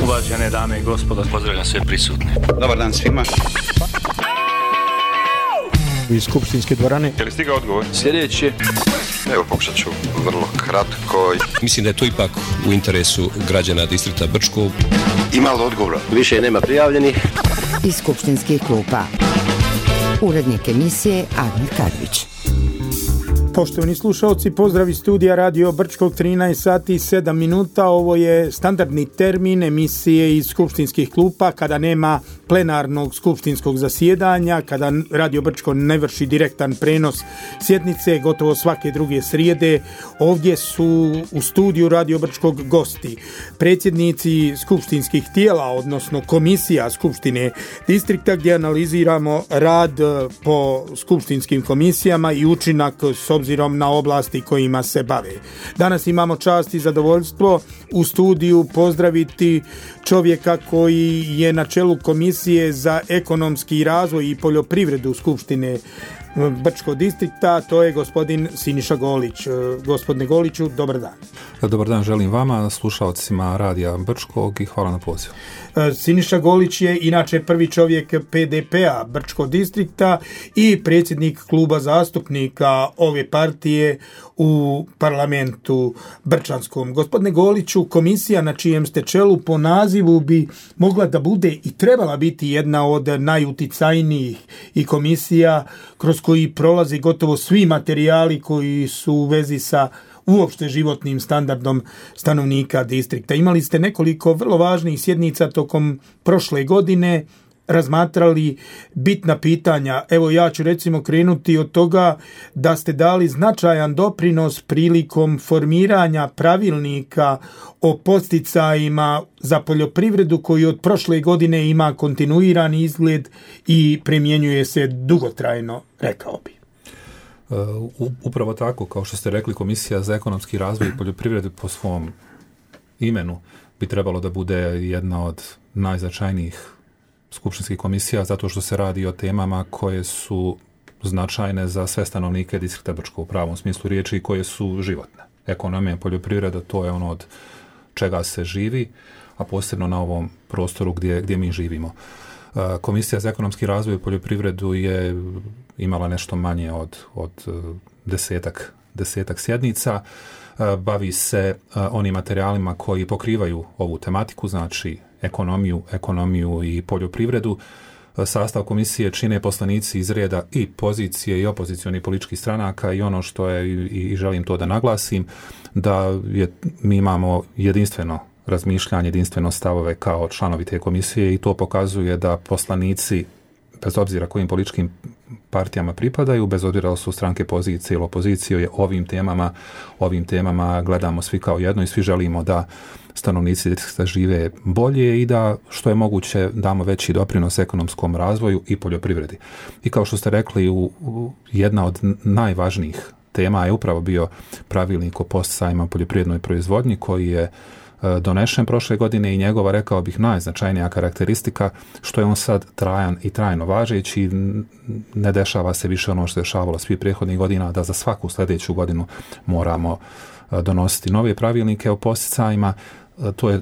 Uvažene dame i gospodo, pozdravljam sve prisutne. Dobar dan svima. Iz skupštinske dvorane. Je li stigao odgovor? Sljedeće. Evo, pokušat ću vrlo kratko. Mislim da je to ipak u interesu građana distrikta Brčko. Ima li odgovora? Više nema prijavljenih. Iz skupštinskih klupa. Urednik emisije Admir Kadrić. Poštovani slušalci, pozdrav iz studija Radio Brčkog, 13 sati 7 minuta. Ovo je standardni termin emisije iz skupštinskih klupa kada nema plenarnog skupštinskog zasjedanja, kada Radio Brčko ne vrši direktan prenos sjednice gotovo svake druge srijede. Ovdje su u studiju Radio Brčkog gosti, predsjednici skupštinskih tijela, odnosno komisija skupštine distrikta, gdje analiziramo rad po skupštinskim komisijama i učinak s obzirom na oblasti kojima se bave. Danas imamo čast i zadovoljstvo u studiju pozdraviti čovjeka koji je na čelu Komisije za ekonomski razvoj i poljoprivredu Skupštine Brčkog distrikta, to je gospodin Siniša Golić. Gospodine Goliću, dobar dan. Dobar dan želim vama, slušalcima Radija Brčkog i hvala na pozivu. Siniša Golić je inače prvi čovjek PDP-a Brčkog distrikta i predsjednik kluba zastupnika ove partije u parlamentu brčanskom. Gospodine Goliću, komisija na čijem ste čelu po nazivu bi mogla da bude i trebala biti jedna od najuticajnijih i komisija kroz koji prolazi gotovo svi materijali koji su u vezi sa uopšte životnim standardom stanovnika distrikta. Imali ste nekoliko vrlo važnih sjednica tokom prošle godine, razmatrali bitna pitanja. Evo ja ću recimo krenuti od toga da ste dali značajan doprinos prilikom formiranja pravilnika o podsticajima za poljoprivredu koji od prošle godine ima kontinuirani izgled i primjenjuje se dugotrajno, rekao bi. Upravo tako, kao što ste rekli, Komisija za ekonomski razvoj i poljoprivredu po svom imenu bi trebalo da bude jedna od najznačajnijih skupštinskih komisija, zato što se radi o temama koje su značajne za sve stanovnike distrikta Brčko u pravom smislu riječi i koje su životne. Ekonomija i poljoprivreda, to je ono od čega se živi, a posebno na ovom prostoru gdje mi živimo. Komisija za ekonomski razvoj i poljoprivredu je imala nešto manje od desetak sjednica. Bavi se onim materijalima koji pokrivaju ovu tematiku, znači ekonomiju i poljoprivredu. Sastav komisije čine poslanici iz reda i pozicije i opozicionih političkih stranaka i ono što je, i želim to da naglasim, da mi imamo jedinstveno razmišljanje, jedinstveno stavove kao članovi te komisije i to pokazuje da poslanici, bez obzira kojim političkim partijama pripadaju, bez obzira da su stranke pozicije ili opozicije, ovim temama gledamo svi kao jedno i svi želimo da stanovnici distrikta žive bolje i da što je moguće damo veći doprinos ekonomskom razvoju i poljoprivredi. I kao što ste rekli, jedna od najvažnijih tema je upravo bio pravilnik o podsticajima poljoprivrednoj proizvodnji koji je donešen prošle godine i njegova, rekao bih, najznačajnija karakteristika što je on sad trajan i trajno važeći. Ne dešava se više ono što je dešavalo svih prethodnih godina, da za svaku sljedeću godinu moramo donositi nove pravilnike o podsticajima. To je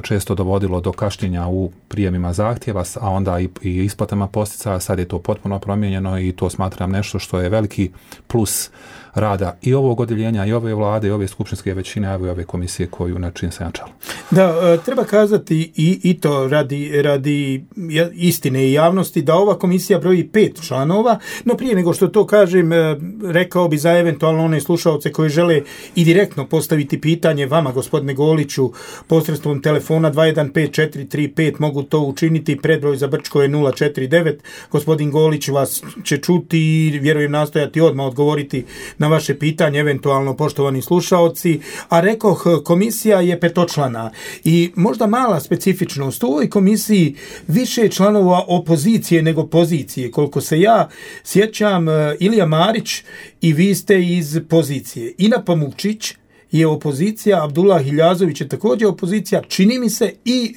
često dovodilo do kašnjenja u prijemima zahtjeva, a onda i isplatama podsticaja. Sad je to potpuno promijenjeno i to smatram nešto što je veliki plus rada i ovog odjeljenja, i ove vlade, i ove skupštinske većine, a i ove komisije koju na čim se načela. Da, treba kazati i to radi istine i javnosti da ova komisija broji 5 članova, no prije nego što to kažem, rekao bi za eventualno one slušalce koji žele i direktno postaviti pitanje vama, gospodine Goliću, posredstvom telefona 215435 mogu to učiniti, predbroj za Brčko je 049. Gospodin Golić vas će čuti i vjerujem nastojati odmah odgovoriti na vaše pitanje, eventualno poštovani slušaoci. A rekoh, komisija je petočlana i možda mala specifičnost. U ovoj komisiji više članova opozicije nego pozicije. Koliko se ja sjećam, Ilija Marić i vi ste iz pozicije. Ina Pamukčić je opozicija, Abdullah Hiljazović je također opozicija, čini mi se, i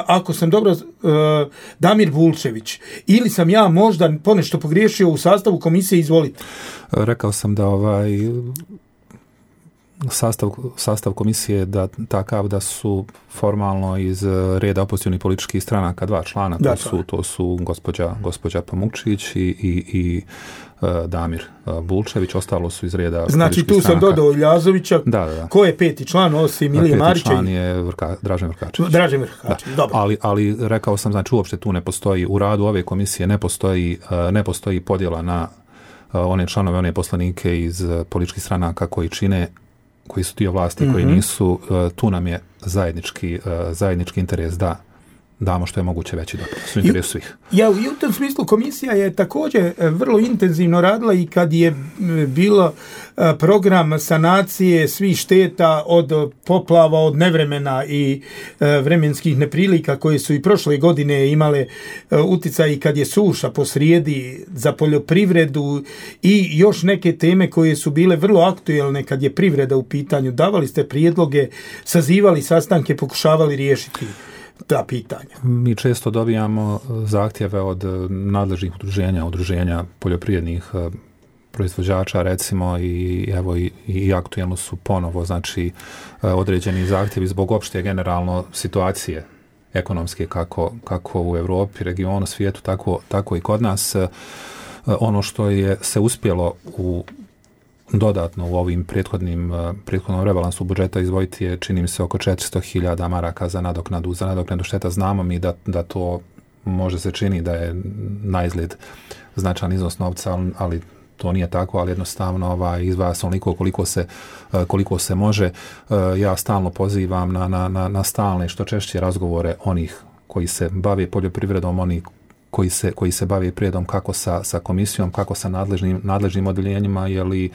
ako sam dobro, Damir Vulčević. Ili sam ja možda ponešto pogriješio u sastavu komisije, izvolite. Rekao sam da sastav komisije je takav da su formalno iz reda opozicionih političkih stranaka 2 člana, to su gospođa Pamukčić i Damir Bulčević, ostalo su iz reda znači tu sam dodao Iljazovića. Da. Ko je 5. član osim Ilije Marića? 5. član je Dražen Vrkačević. Dobro. Ali rekao sam, znači uopšte tu ne postoji, u radu ove komisije ne postoji podjela na one članove, one poslanike iz političkih stranaka koji su dio vlasti, koji nisu. Tu nam je zajednički interes da damo što je moguće veći doprinos u interesu svih. I u tom smislu komisija je također vrlo intenzivno radila i kad je bilo program sanacije svih šteta od poplava, od nevremena i vremenskih neprilika koje su i prošle godine imale utjecaj, i kad je suša posrijedi za poljoprivredu i još neke teme koje su bile vrlo aktuelne kad je privreda u pitanju. Davali ste prijedloge, sazivali sastanke, pokušavali riješiti ta pitanja. Mi često dobijamo zahtjeve od nadležnih udruženja poljoprivrednih proizvođača, recimo, i aktuelno su ponovo, znači, određeni zahtjevi zbog opšte generalno situacije ekonomske kako u Europi, regionu, svijetu, tako i kod nas. Ono što je se uspjelo dodatno u ovim prethodnom rebalansu budžeta izdvojiti je, čini mi se, oko 400.000 maraka za nadoknadu šteta. Znamo mi da to može se čini da je naizgled značajan iznos novca, ali to nije tako, ali jednostavno izdvaja se onoliko koliko se može. Ja stalno pozivam na stalne, što češće razgovore onih koji se bave poljoprivredom, onih koji se bave prijedom, kako sa komisijom, kako sa nadležnim odjeljenjima, jer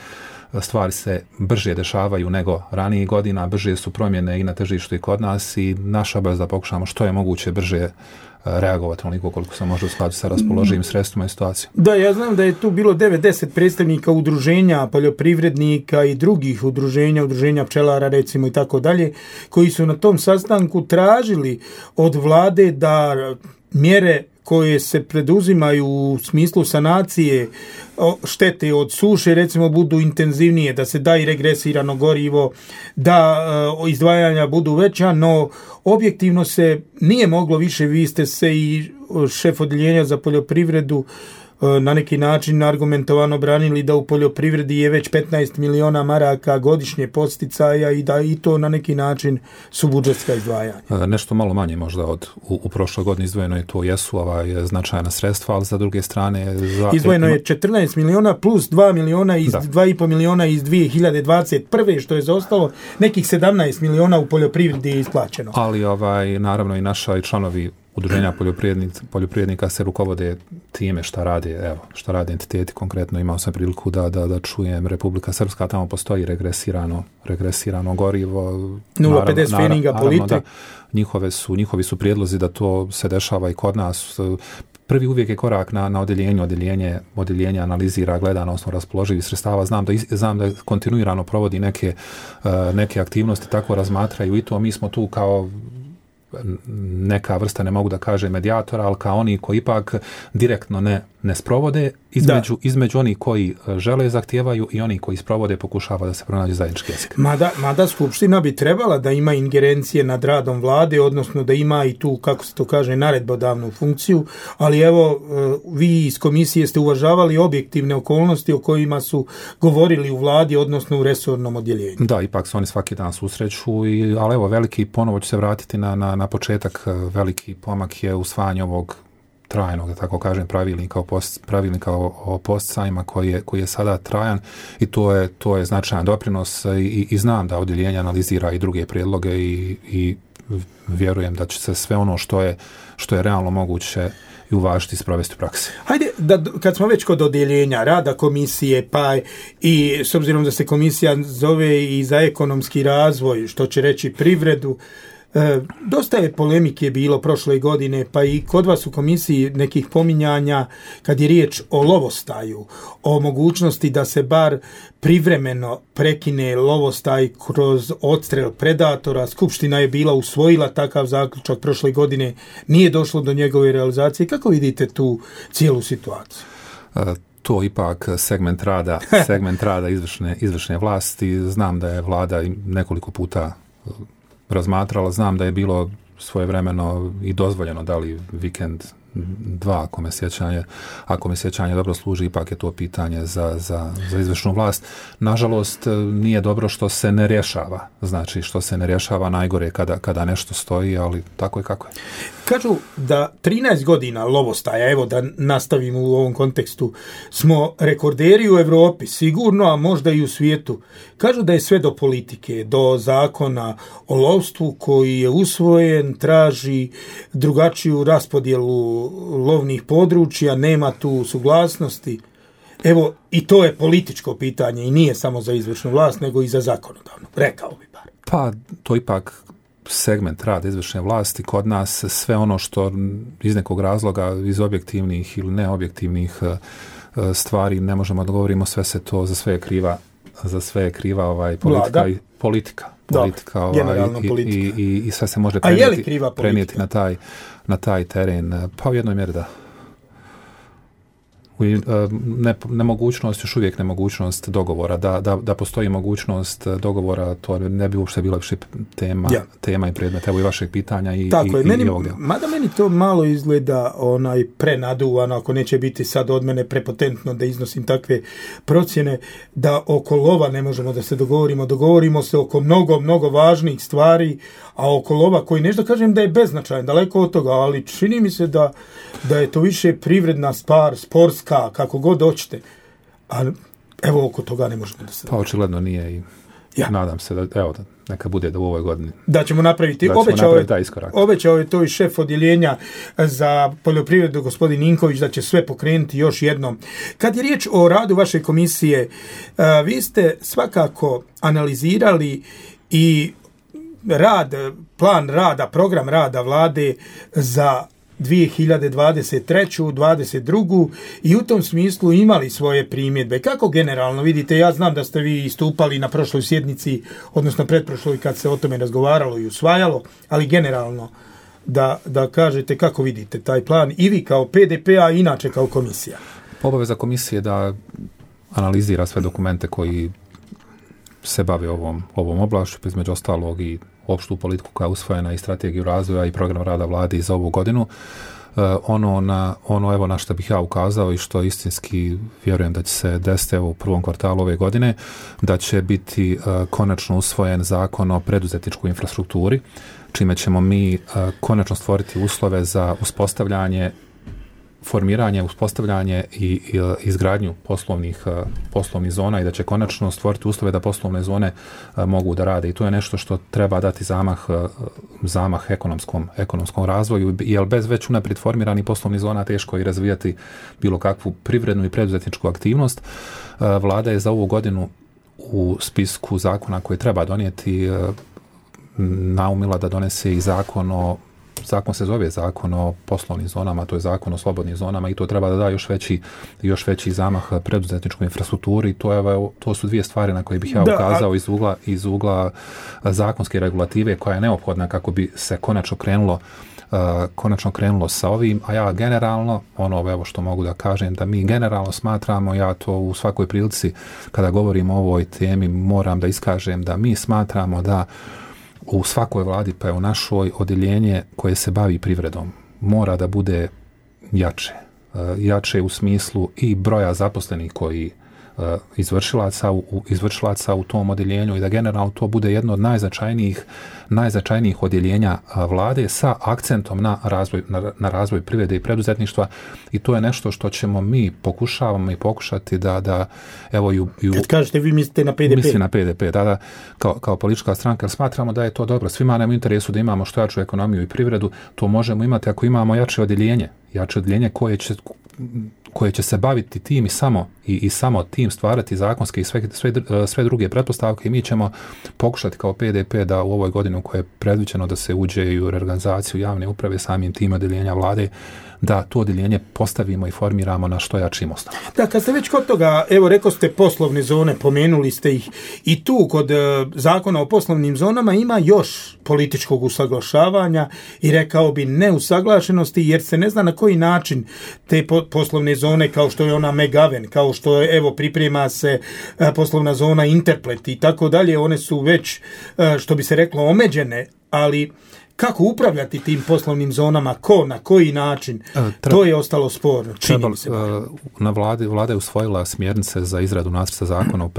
stvari se brže dešavaju nego ranijih godina, brže su promjene i na tržištu i kod nas, i naša obaveza da pokušamo što je moguće brže reagovati onoliko koliko se može u skladu sa raspoloživim sredstvima i situacijom. Da, ja znam da je tu bilo 9-10 predstavnika udruženja poljoprivrednika i drugih udruženja pčelara, recimo, i tako dalje, koji su na tom sastanku tražili od vlade da mjere koje se preduzimaju u smislu sanacije štete od suše, recimo, budu intenzivnije, da se da i regresirano gorivo, da izdvajanja budu veća, no objektivno se nije moglo više. Vi ste se i šef odjeljenja za poljoprivredu na neki način argumentovano branili da u poljoprivredi je već 15 miliona maraka godišnje posticaja i da i to na neki način su budžetska izdvajanja. Nešto malo manje možda u prošloj godini izdvojeno je, to jesu značajna sredstva, ali za druge strane izdvojeno je 14 miliona plus 2 miliona iz 2,5 miliona iz 2021. što je zaostalo, nekih 17 miliona u poljoprivredi je isplaćeno. Ali naravno i naša i članovi udruženja poljoprivrednika se rukovode time šta rade entiteti. Konkretno imao sam priliku da čujem Republika Srpska, tamo postoji regresirano gorivo. 0,50 feninga po litri. Njihovi su prijedlozi da to se dešava i kod nas. Prvi uvijek je korak na odjeljenje analizira, gleda na osnovu raspoloživih sredstava. Znam da kontinuirano provodi neke aktivnosti, tako razmatraju i to. Mi smo tu kao neka vrsta, ne mogu da kažem medijatora, ali kao oni koji ipak direktno ne sprovode, između onih koji žele, zahtijevaju, i oni koji sprovode, pokušava da se pronađe zajednički jezik. Mada Skupština bi trebala da ima ingerencije nad radom vlade, odnosno da ima i tu, kako se to kaže, naredbodavnu funkciju, ali evo, vi iz komisije ste uvažavali objektivne okolnosti o kojima su govorili u vladi, odnosno u resornom odjeljenju. Da, ipak se oni svaki dan susreću, ali evo, ponovo ću se vratiti na početak, veliki pomak je usvajanje ovog trajnog, da tako kažem, pravilnika o posticajima koji je sada trajan, i to je značajan doprinos, i znam da odjeljenje analizira i druge prijedloge i vjerujem da će se sve ono što je realno moguće i uvažiti i sprovesti u praksi. Hajde, kad smo već kod odjeljenja rada komisije, pa i s obzirom da se komisija zove i za ekonomski razvoj, što će reći privredu, dosta je polemike bilo prošle godine, pa i kod vas u komisiji nekih pominjanja kad je riječ o lovostaju, o mogućnosti da se bar privremeno prekine lovostaj kroz odstrel predatora. Skupština je bila usvojila takav zaključak prošle godine, nije došlo do njegove realizacije. Kako vidite tu cijelu situaciju? to ipak segment rada izvršne vlasti. Znam da je vlada nekoliko puta razmatrala, znam da je bilo svojevremeno i dozvoljeno da li vikend 2, ako me sjećanje dobro služi, ipak je to pitanje za izvršnu vlast. Nažalost, nije dobro što se ne rješava. Znači, što se ne rješava, najgore kada nešto stoji, ali tako je kako je. Kažu da 13 godina lovostaja, evo da nastavimo u ovom kontekstu, smo rekorderi u Europi, sigurno, a možda i u svijetu. Kažu da je sve do politike, do zakona o lovstvu koji je usvojen, traži drugačiju raspodjelu lovnih područja, nema tu suglasnosti. Evo, i to je političko pitanje i nije samo za izvršnu vlast, nego i za zakonodavnu, rekao bi bar. Pa, to ipak segment rada izvršne vlasti. Kod nas sve ono što iz nekog razloga, iz objektivnih ili neobjektivnih stvari ne možemo da govorimo, sve se to, za sve je kriva politika. I sve se može prenijeti na taj teren. Pa u jednoj mjeri da. Nemogućnost, još uvijek nemogućnost dogovora. Da postoji mogućnost dogovora, to ne bi uopšte bila više tema i predmet, evo i vašeg pitanja i ovog dela. Mada meni to malo izgleda prenaduvano, ako neće biti sad od mene prepotentno da iznosim takve procjene, da oko lova ne možemo da se dogovorimo se oko mnogo važnih stvari, a oko lova koji nešto kažem da je beznačajan, daleko od toga, ali čini mi se da je to više privredna stvar, sportska, kako god hoćete. A evo oko toga ne možemo da se... Pa očigledno nije i nadam se da neka bude da u ovoj godini. Da ćemo napraviti. Obećao je to i šef odjeljenja za poljoprivredu, gospodin Ninković, da će sve pokrenuti još jednom. Kad je riječ o radu vaše komisije, vi ste svakako analizirali i plan rada, program rada vlade za 2023. 2022. i u tom smislu imali svoje primjedbe. Kako generalno vidite? Ja znam da ste vi istupali na prošloj sjednici, odnosno pretprošloj kad se o tome razgovaralo i usvajalo, ali generalno da kažete kako vidite taj plan i vi kao PDP, a inače kao komisija. Obaveza komisije da analizira sve dokumente koji se bave ovom oblašću, između ostalog i opštu politiku koja je usvojena i strategiju razvoja i program rada vlade za ovu godinu. Ono na što bih ja ukazao i što istinski vjerujem da će se desiti u prvom kvartalu ove godine, da će biti konačno usvojen zakon o preduzetničkoj infrastrukturi, čime ćemo mi konačno stvoriti uslove za uspostavljanje i izgradnju poslovnih zona i da će konačno stvoriti uslove da poslovne zone mogu da rade. I to je nešto što treba dati zamah ekonomskom razvoju, jer bez već unaprijed formiranih poslovnih zona teško je razvijati bilo kakvu privrednu i preduzetničku aktivnost. Vlada je za ovu godinu u spisku zakona koje treba donijeti naumila da donese i zakon se zove zakon o poslovnim zonama, to je zakon o slobodnim zonama i to treba da da još veći zamah preduzetničkoj infrastrukturi. To su dvije stvari na koje bih ja ukazao iz ugla zakonske regulative koja je neophodna kako bi se konačno krenulo sa ovim, a ja generalno, što mogu da kažem, da mi generalno smatramo, ja to u svakoj prilici kada govorim o ovoj temi moram da iskažem da mi smatramo da u svakoj vladi, pa je u našoj, odjeljenje koje se bavi privredom mora da bude jače u smislu i broja zaposlenih koji izvršilaca u tom odjeljenju i da generalno to bude jedno od najznačajnijih odjeljenja vlade sa akcentom na razvoj privrede i preduzetništva i to je nešto što ćemo mi pokušati da evo kad kažete vi mislite na PDP? Mislim na PDP, da, kao politička stranka, jer smatramo da je to dobro. Svima nam u interesu da imamo što jaču ekonomiju i privredu, to možemo imati ako imamo jače odjeljenje koje će se baviti tim i samo tim stvarati zakonske i sve druge pretpostavke i mi ćemo pokušati kao PDP da u ovoj godini u kojoj je predviđeno da se uđe i u reorganizaciju javne uprave samim tim odjeljenja vlade, da to odjeljenje postavimo i formiramo na što jačim osnovama. Da, kad ste već kod toga, evo rekao ste poslovne zone, pomenuli ste ih i tu kod zakona o poslovnim zonama ima još političkog usaglašavanja i rekao bi neusaglašenosti jer se ne zna na koji način poslovne zone kao što je ona Megaven, kao što je, evo, priprema se poslovna zona Interplet i tako dalje, one su već, što bi se reklo, omeđene, ali kako upravljati tim poslovnim zonama, na koji način, to je ostalo sporno. Vlada je usvojila smjernice za izradu nacrta zakona o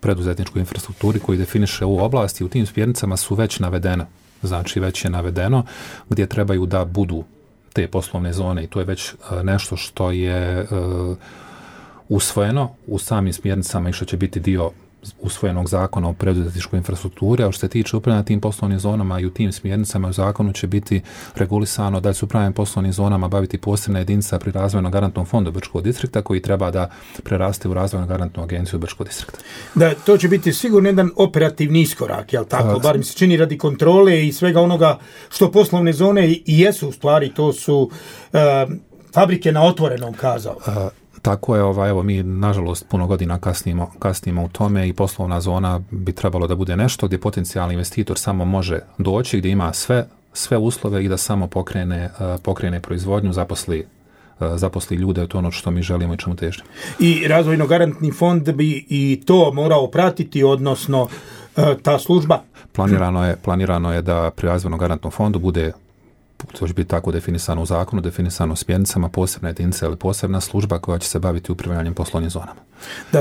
preduzetničkoj infrastrukturi koji definiše ovu oblast i u tim smjernicama su već navedene. Znači već je navedeno gdje trebaju da budu te poslovne zone i to je već nešto što je usvojeno u samim smjernicama i što će biti dio usvojenog zakona o preduzetničkoj infrastrukturi, a što se tiče upravljanja tim poslovnim zonama i u tim smjernicama u zakonu će biti regulisano da će se upravljanjem poslovnim zonama baviti posebna jedinica pri razvojnom garantnom fondu Brčkog distrikta koji treba da preraste u razvojnu garantnu agenciju Brčkog distrikta. Da, to će biti sigurno jedan operativni iskorak, jel tako? Bar mi se čini radi kontrole i svega onoga što poslovne zone i jesu u stvari, to su fabrike na otvorenom, kazao. Tako je, evo mi nažalost puno godina kasnimo u tome i poslovna zona bi trebalo da bude nešto gdje potencijalni investitor samo može doći, gdje ima sve uslove i da samo pokrene proizvodnju, zaposli ljude, to ono što mi želimo i čemu težimo. I razvojno-garantni fond bi i to morao pratiti, odnosno ta služba? Planirano je da pri razvojno-garantnom fondu bude, to će biti tako definisano u zakonu, definisano smjernicama, posebna jedinica ili posebna služba koja će se baviti upravljanjem poslovnim zonama.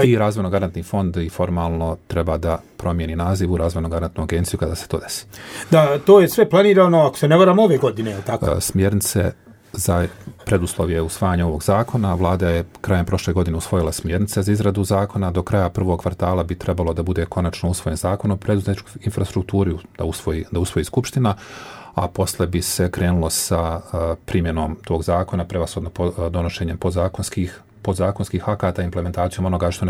I razvojno-garantni fond i formalno treba da promijeni naziv u razvojno-garantnu agenciju kada se to desi. Da, to je sve planirano, ako se ne varam, ove godine, je li tako? Smjernice za preduslovje usvajanja ovog zakona. Vlada je krajem prošle godine usvojila smjernice za izradu zakona. Do kraja prvog kvartala bi trebalo da bude konačno usvojen zakon o preduzetničkoj infrastrukturi, da usvoji Skupština, a posle bi se krenulo sa primjenom tog zakona, prevashodno donošenjem podzakonskih akata, implementacijom onoga što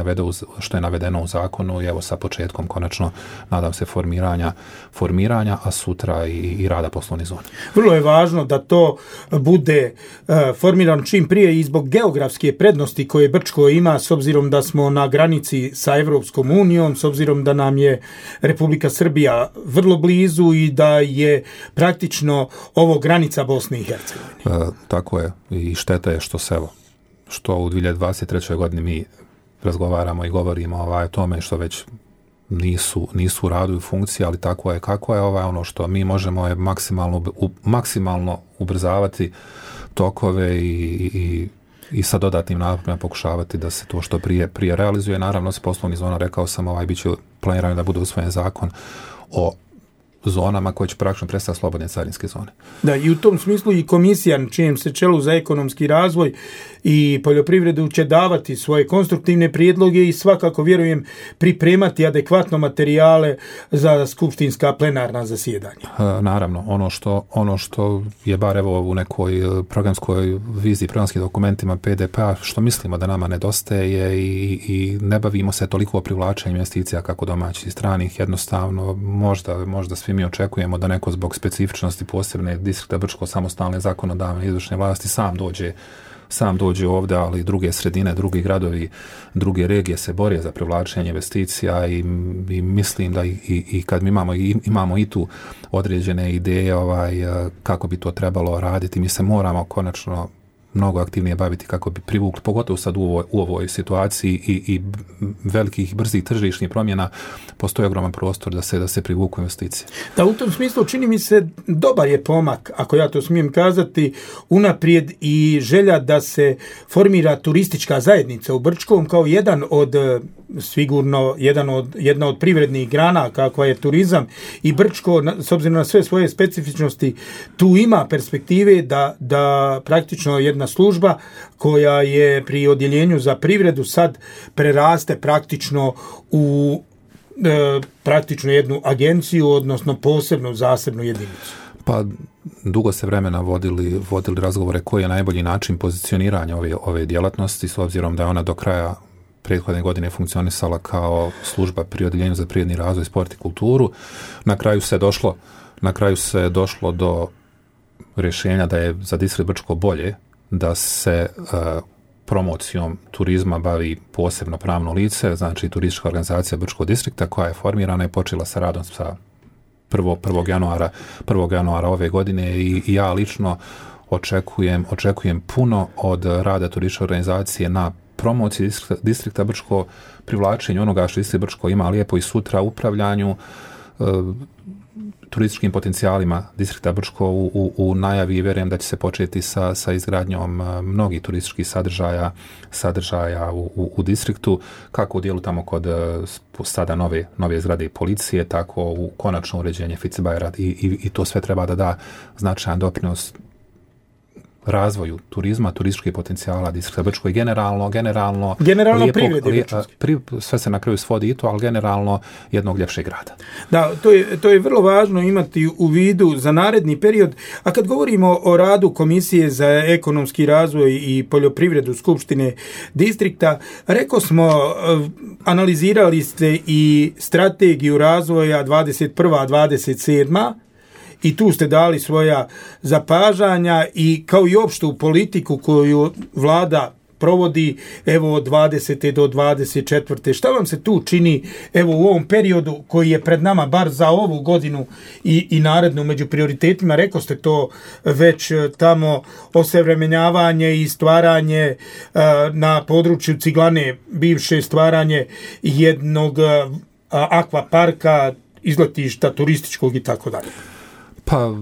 je navedeno u zakonu i evo sa početkom konačno, nadam se, formiranja, a sutra i rada poslovnih zona. Vrlo je važno da to bude formirano čim prije i zbog geografske prednosti koje Brčko ima, s obzirom da smo na granici sa Evropskom unijom, s obzirom da nam je Republika Srbija vrlo blizu i da je praktično ovo granica Bosne i Hercegovine. Tako je, i šteta je što u 2023. godini mi razgovaramo i govorimo o tome što već nisu u radu i funkciji, ali tako je kako je. Ono što mi možemo je maksimalno ubrzavati tokove i sa dodatnim naporima pokušavati da se to što prije realizuje. Naravno, se poslovnih zona, rekao sam, bit će planirano da bude usvojen zakon o zonama koje će praktično predstaviti slobodne carinske zone. Da, i u tom smislu i komisija na čijem se čelu za ekonomski razvoj i poljoprivredu će davati svoje konstruktivne prijedloge i svakako, vjerujem, pripremati adekvatno materijale za skupštinska plenarna zasjedanja. Naravno, ono što je bar evo u nekoj programskoj viziji, programskim dokumentima PDP-a, što mislimo da nama nedostaje i ne bavimo se toliko o privlačenju investicija kako domaćih i stranih, jednostavno možda svi mi očekujemo da neko zbog specifičnosti posebne distrikta Brčko samostalne zakonodavne izvršne vlasti sam dođe ovdje, ali druge sredine, drugi gradovi, druge regije se bore za privlačenje investicija i mislim da i kad mi imamo i tu određene ideje kako bi to trebalo raditi, mi se moramo konačno mnogo aktivnije baviti kako bi privukli, pogotovo sad u ovoj situaciji i velikih, brzih tržišnih promjena, postoji ogroman prostor da se privuku investicije. Da, u tom smislu čini mi se dobar je pomak, ako ja to smijem kazati, unaprijed i želja da se formira turistička zajednica u Brčkom kao jedna od privrednih grana kakva je turizam i Brčko, s obzirom na sve svoje specifičnosti, tu ima perspektive da praktično jedna služba koja je pri odjeljenju za privredu sad preraste praktično u praktično jednu agenciju, odnosno posebnu zasebnu jedinicu. Pa dugo se vremena vodili razgovore koji je najbolji način pozicioniranja ove djelatnosti, s obzirom da je ona do kraja prethodne godine funkcionisala kao služba pri odjeljenju za privredni razvoj, sport i kulturu. Na kraju se došlo do rješenja da je za distrikt Brčko bolje da se promocijom turizma bavi posebno pravno lice, znači turistička organizacija Brčkog distrikta koja je formirana i počela sa radom sa 1. januara ove godine i ja lično očekujem puno od rada turističke organizacije na promociji distrikta Brčko, privlačenju onoga što distrikt Brčko ima lijepo i sutra, upravljanju turističkim potencijalima distrikta Brčko u najavi i vjerujem da će se početi sa izgradnjom mnogih turističkih sadržaja u distriktu, kako u dijelu tamo kod sada nove zgrade policije, tako u konačno uređenje Ficebajera i to sve treba da da značajan doprinos razvoju turizma, turističkih potencijala distrikta Brčko i generalno privrede. Sve se na kraju svodi i to, ali generalno jednog ljepšeg grada. Da, to je vrlo važno imati u vidu za naredni period. A kad govorimo o radu Komisije za ekonomski razvoj i poljoprivredu Skupštine distrikta, rekao smo, analizirali ste i strategiju razvoja 21-27, i tu ste dali svoja zapažanja i kao i opštu politiku koju vlada provodi evo od 20. do 24. Šta vam se tu čini evo u ovom periodu koji je pred nama bar za ovu godinu i narednu među prioritetima? Rekao ste to već tamo, osavremenjavanje i stvaranje na području Ciglane, bivše stvaranje jednog akvaparka, izletišta turističkog i tako dalje. Pa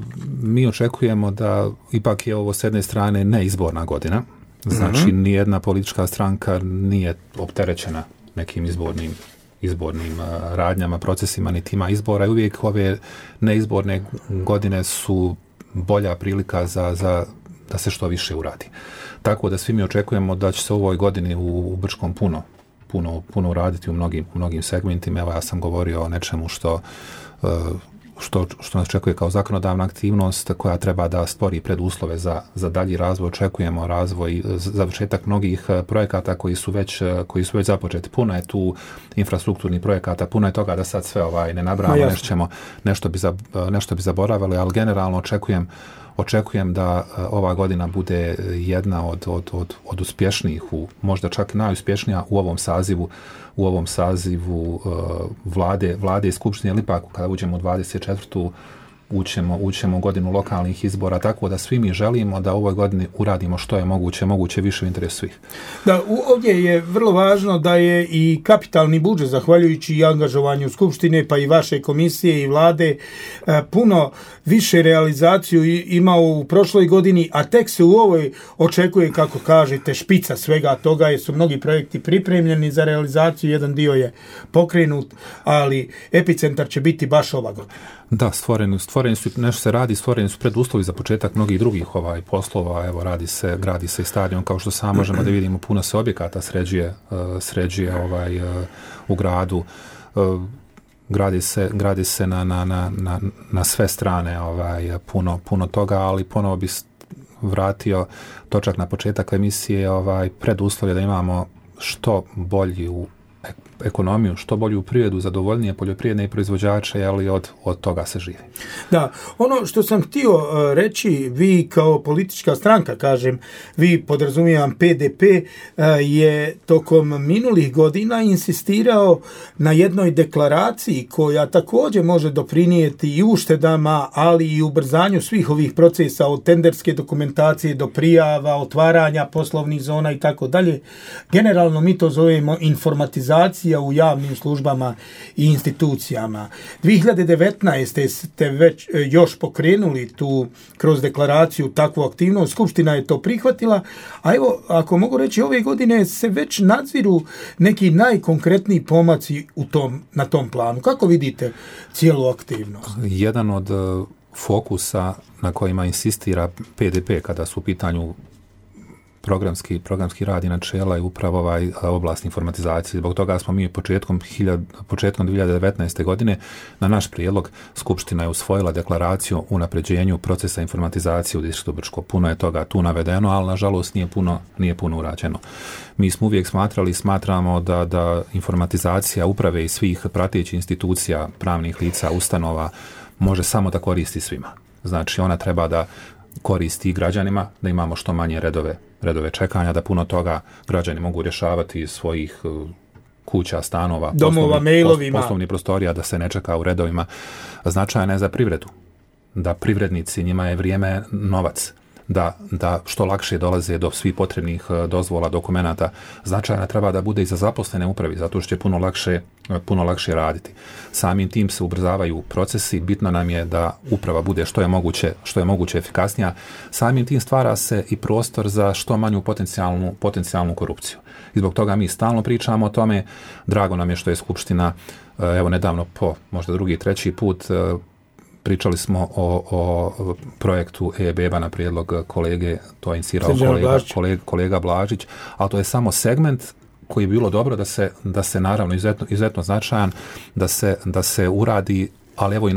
mi očekujemo da ipak je ovo s jedne strane neizborna godina, znači nijedna politička stranka nije opterećena nekim izbornim radnjama, procesima, niti ima izbora i uvijek ove neizborne godine su bolja prilika da se što više uradi. Tako da svi mi očekujemo da će se u ovoj godini u Brčkom puno uraditi u mnogim segmentima. Evo ja sam govorio o nečemu što nas očekuje kao zakonodavna aktivnost koja treba da stvori preduslove za dalji razvoj. Očekujemo razvoj, završetak mnogih projekata koji su već započeti. Puno je tu infrastrukturnih projekata, puno je toga da sad sve ne nabrajamo, nešto bi zaboravili, ali generalno očekujem da ova godina bude jedna od uspješnijih, možda čak najuspješnija u ovom sazivu vlade i skupštine, ili ipak kada uđemo u 24. ućemo u godinu lokalnih izbora, tako da svi mi želimo da u ovoj godini uradimo što je moguće više u interesu svih. Da, ovdje je vrlo važno da je i kapitalni budžet, zahvaljujući i angažovanju Skupštine, pa i vaše komisije i vlade, puno više realizaciju imao u prošloj godini, a tek se u ovoj očekuje, kako kažete, špica svega toga, jer su mnogi projekti pripremljeni za realizaciju, jedan dio je pokrenut, ali epicentar će biti baš ova godina. Da, stvoreni su, nešto se radi, stvoreni su preduslovi za početak mnogih drugih poslova. Evo, gradi se i stadion, kao što sam možemo da vidimo, puno se objekata sređuje u gradu. Gradi se na sve strane puno toga, ali ponovo bi vratio točak na početak emisije, preduslovi da imamo što bolju ekonomiju, što bolju privredu, zadovoljnije poljoprivredne proizvođače, ali od toga se živi. Da, ono što sam htio reći, vi kao politička stranka, kažem, vi podrazumijevam PDP, je tokom minulih godina insistirao na jednoj deklaraciji koja također može doprinijeti i uštedama, ali i ubrzanju svih ovih procesa od tenderske dokumentacije do prijava, otvaranja poslovnih zona i tako dalje. Generalno mi to zovemo informatizacija u javnim službama i institucijama. 2019. ste već još pokrenuli tu kroz deklaraciju takvu aktivnost, Skupština je to prihvatila, a evo, ako mogu reći, ove godine se već nadziru neki najkonkretniji pomaci na tom planu. Kako vidite cijelu aktivnost? Jedan od fokusa na kojima insistira PDP kada su u pitanju programski rad i načela je upravo oblast informatizacije. Zbog toga smo mi početkom 2019. godine na naš prijedlog Skupština je usvojila deklaraciju o unapređenju procesa informatizacije u distriktu Brčko. Puno je toga tu navedeno, ali nažalost nije puno urađeno. Mi smo uvijek smatramo da informatizacija uprave i svih pratećih institucija, pravnih lica, ustanova može samo da koristi svima. Znači ona treba da koristi građanima, da imamo što manje redove čekanja, da puno toga građani mogu rješavati iz svojih kuća, stanova, domova, mailovima, poslovnih prostorija, da se ne čeka u redovima. Značajna je za privredu, da privrednici, njima je vrijeme novac, da što lakše dolaze do svih potrebnih dozvola, dokumenata. Značajna treba da bude i za zaposlene upravi, zato što će puno lakše raditi. Samim tim se ubrzavaju procesi, bitno nam je da uprava bude što je moguće efikasnija. Samim tim stvara se i prostor za što manju potencijalnu korupciju. I zbog toga mi stalno pričamo o tome. Drago nam je što je Skupština, evo nedavno po možda drugi, treći put, pričali smo o projektu e-beba na prijedlog kolege, to je inicirao kolega Blažić, ali to je samo segment koji je bilo dobro da se naravno izuzetno značajan, da se uradi, ali evo i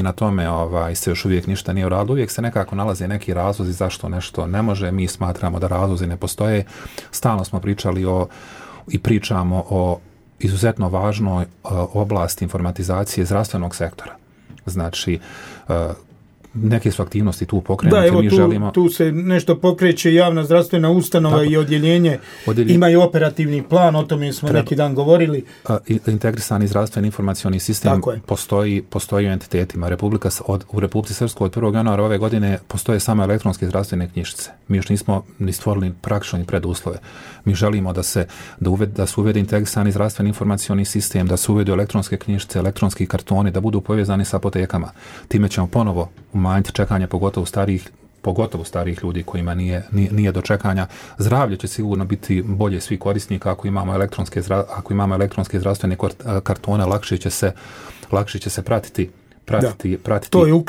na tome se još uvijek ništa nije uradilo. Uvijek se nekako nalaze neki razlozi zašto nešto ne može. Mi smatramo da razlozi ne postoje. Stalno smo pričali i pričamo o izuzetno važnoj oblasti informatizacije zdravstvenog sektora. Znači, neke su aktivnosti tu pokrenute. Da, evo tu se nešto pokreće, javna zdravstvena ustanova. Tako, i odjeljenje imaju operativni plan, o tome smo neki dan govorili. Integrisani zdravstveni informacioni sistem postoji u entitetima. U Republici Srpskoj od 1. januara ove godine postoje samo elektronske zdravstvene knjižice. Mi još nismo ni stvorili praktično ni preduslove. Mi želimo da se uvede integrisani zdravstveni informacioni sistem, da se uvedu elektronske knjižice, elektronski kartoni, da budu povezani sa apotekama. Time ćemo ponovo umanjiti čekanje, pogotovo starih ljudi kojima nije do čekanja. Zdravlje će sigurno biti bolje svih korisnika ako imamo elektronske zdravstvene kartone, lakše će se pratiti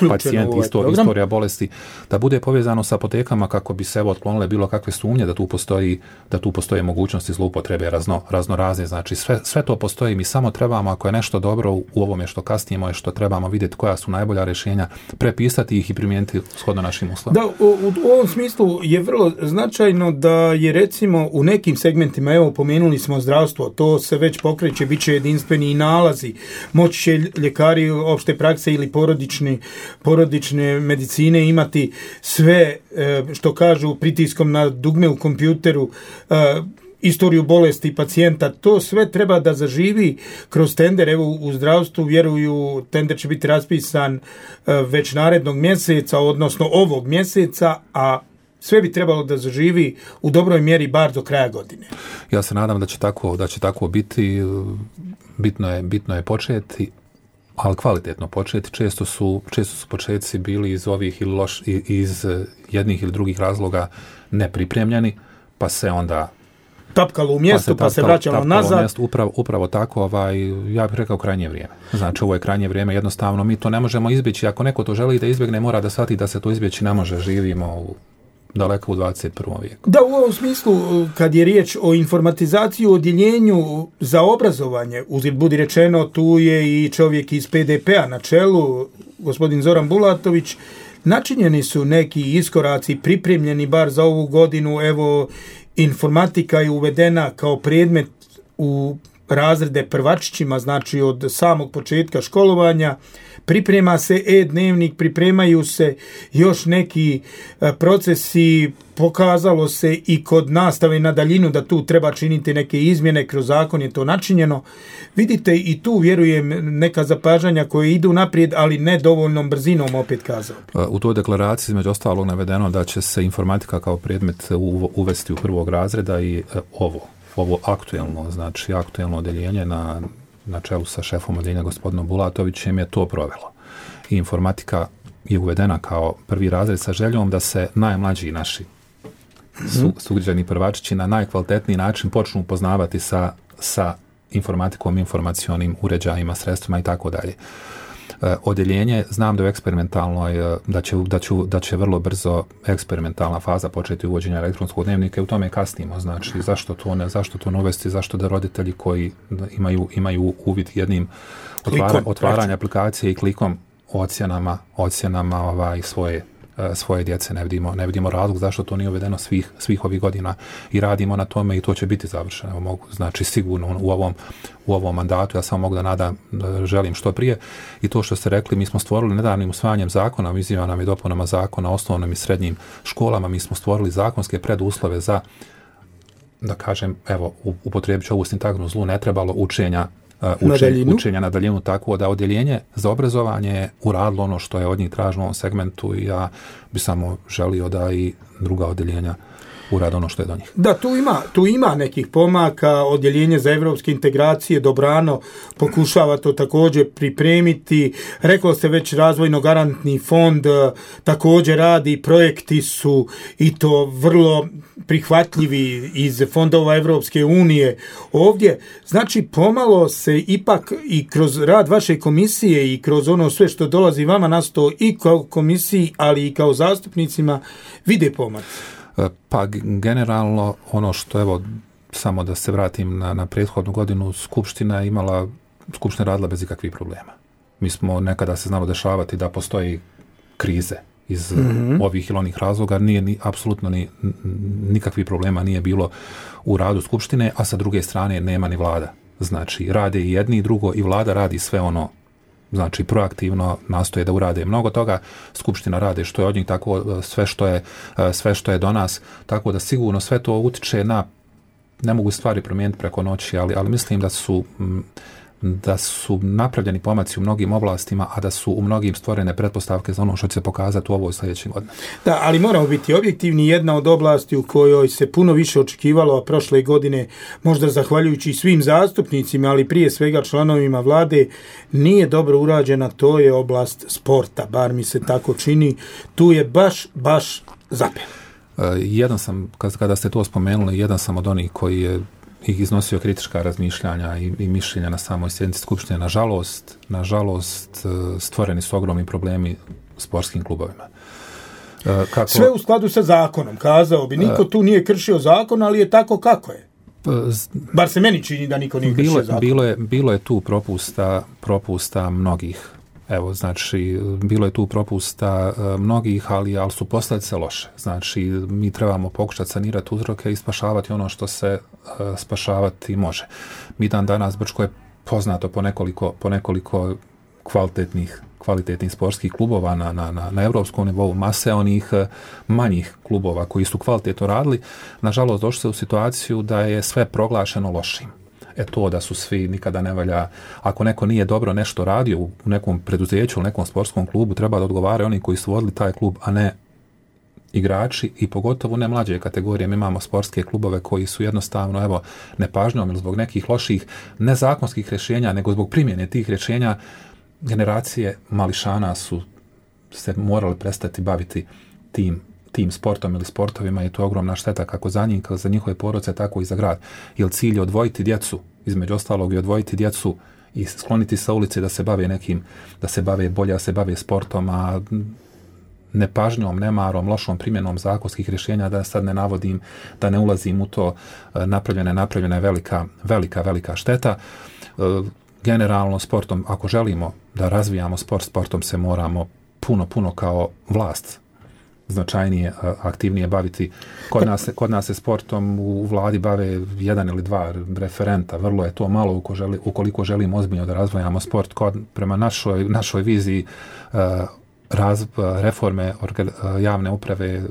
pacijenti, istorija bolesti, da bude povezano sa apotekama kako bi se otklonile bilo kakve sumnje da tu postoje mogućnosti zloupotrebe raznorazne. Znači sve to postoji, mi samo trebamo, ako je nešto dobro u ovome što kasnijemo i što trebamo vidjeti koja su najbolja rješenja, prepisati ih i primijeniti shodno našim uslovima. Da, u ovom smislu je vrlo značajno da je recimo u nekim segmentima, evo pomenuli smo zdravstvo, to se već pokreće, bit će jedinstveni i nalazi, moći će ljekari opšte prakse ili porodične medicine imati sve, što kažu, pritiskom na dugme u kompjuteru, istoriju bolesti pacijenta, to sve treba da zaživi kroz tender. Evo u zdravstvu vjeruju, tender će biti raspisan već narednog mjeseca, odnosno ovog mjeseca, a sve bi trebalo da zaživi u dobroj mjeri bar do kraja godine. Ja se nadam da će tako biti. Bitno je početi, ali kvalitetno početi. Često su početci bili iz ovih iz jednih ili drugih razloga nepripremljeni, pa se onda tapkalo u mjestu, pa se vraćalo nazad. Upravo tako, ja bih rekao krajnje vrijeme. Znači, ovo je krajnje vrijeme, jednostavno mi to ne možemo izbjeći. Ako neko to želi da izbjegne, mora da shvati da se to izbjeći ne može. Živimo daleko u 21. vijeku. Da, u ovom smislu, kad je riječ o informatizaciji, o odjeljenju za obrazovanje, uzgled budi rečeno, tu je i čovjek iz PDP-a na čelu, gospodin Zoran Bulatović, načinjeni su neki iskoraci, pripremljeni bar za ovu godinu. Evo, informatika je uvedena kao predmet u razrede prvačićima, znači od samog početka školovanja. Priprema se e-dnevnik, pripremaju se još neki procesi, pokazalo se i kod nastave na daljinu da tu treba činiti neke izmjene, kroz zakon je to načinjeno. Vidite, i tu vjerujem neka zapažanja koje idu naprijed, ali ne dovoljnom brzinom, opet kazao. U toj deklaraciji između ostalog navedeno da će se informatika kao predmet uvesti u prvog razreda i ovo aktuelno odjeljenje na čelu sa šefom odjeljenja gospodinom Bulatovićem je to provelo. I informatika je uvedena kao prvi razred sa željom da se najmlađi naši sugrađani prvačići na najkvalitetniji način počnu upoznavati sa informatikom, informacionim uređajima, sredstvima i tako dalje. Odjeljenje, znam da je eksperimentalno, da će vrlo brzo eksperimentalna faza početi uvođenja elektronskog dnevnika i u tome kasnimo. Znači, zašto to ne uvesti, zašto da roditelji koji imaju uvid jednim otvaranja aplikacije i klikom ocjenama svoje djece, ne vidimo razlog zašto to nije uvedeno svih ovih godina i radimo na tome i to će biti završeno. Znači sigurno u ovom mandatu, ja samo mogu da želim što prije. I to što ste rekli, mi smo stvorili nedavnim usvajanjem zakona o izmjenama i dopunama zakona o osnovnim i srednjim školama, mi smo stvorili zakonske preduslove za, da kažem, evo, upotrijebit ću ovu sintagmu zlu, ne trebalo učenja učenja na daljinu, tako da odjeljenje za obrazovanje je uradilo ono što je od njih tražilo u ovom segmentu i ja bi samo želio da i druga odjeljenja urade ono što je do njih. Da, tu ima nekih pomaka, odjeljenje za evropske integracije dobrano pokušava to također pripremiti. Rekao ste već razvojno-garantni fond također radi, projekti su i to vrlo prihvatljivi iz fondova Evropske unije ovdje. Znači, pomalo se ipak i kroz rad vaše komisije i kroz ono sve što dolazi vama na sto i kao komisiji, ali i kao zastupnicima, vide pomac. Pa generalno ono što, evo, samo da se vratim na prethodnu godinu, Skupština radila bez ikakvih problema. Mi smo nekada se znalo dešavati da postoji krize iz ovih ili onih razloga, apsolutno nikakvih problema nije bilo u radu Skupštine, a sa druge strane nema ni vlada. Znači, rade i jedni i drugo i vlada radi sve ono, znači proaktivno nastoje da urade mnogo toga, Skupština rade što je od njih, tako sve što je do nas, tako da sigurno sve to utiče na, ne mogu stvari promijeniti preko noći, ali mislim da su napravljeni pomaci u mnogim oblastima, a da su u mnogim stvorene pretpostavke za ono što će se pokazati u ovoj sljedećoj godini. Da, ali moramo biti objektivni. Jedna od oblasti u kojoj se puno više očekivalo, a prošle godine, možda zahvaljujući svim zastupnicima, ali prije svega članovima vlade, nije dobro urađena, to je oblast sporta, bar mi se tako čini. Tu je baš zapel. Jedan sam, kada ste to spomenuli, jedan sam od onih koji je iznosio kritička razmišljanja i mišljenja na samoj sjednici Skupštine. Nažalost, stvoreni su ogromni problemi sportskim klubovima. Sve u skladu sa zakonom, kazao bi. Niko tu nije kršio zakon, ali je tako kako je. Bar se meni čini da niko nije kršio zakon. Bilo je tu propusta mnogih. Evo, znači, bilo je tu propusta mnogih, ali su posljedice loše. Znači, mi trebamo pokušati sanirati uzroke i spašavati ono što se spašavati može. Mi danas Brčko je poznato po nekoliko kvalitetnih sportskih klubova na europskom nivou, mase onih manjih klubova koji su kvalitetno radili. Nažalost, došli se u situaciju da je sve proglašeno lošim. To da su svi, nikada ne valja, ako neko nije dobro nešto radio u nekom preduzeću ili nekom sportskom klubu, treba da odgovara oni koji su vodili taj klub, a ne igrači i pogotovo ne mlađe kategorije. Mi imamo sportske klubove koji su jednostavno, evo, nepažnjom ili zbog nekih loših nezakonskih rješenja, nego zbog primjene tih rješenja, generacije mališana su se morali prestati baviti tim sportom ili sportovima i to je ogromna šteta kako za njih, kako za njihove porodice, tako i za grad. Jer cilj je odvojiti djecu, između ostalog i odvojiti djecu i skloniti sa ulice da se bave da se bave bolje, da se bave sportom, a nepažnjom, nemarom, lošom primjenom zakonskih rješenja, da sad ne navodim, da ne ulazim u to, napravljena je velika šteta. Generalno sportom, ako želimo da razvijamo sportom se moramo puno kao vlast značajnije, aktivnije baviti. Kod nas se sportom u vladi bave jedan ili dva referenta. Vrlo je to malo ukoliko želimo ozbiljno da razvijamo sport. Prema našoj viziji reforme javne uprave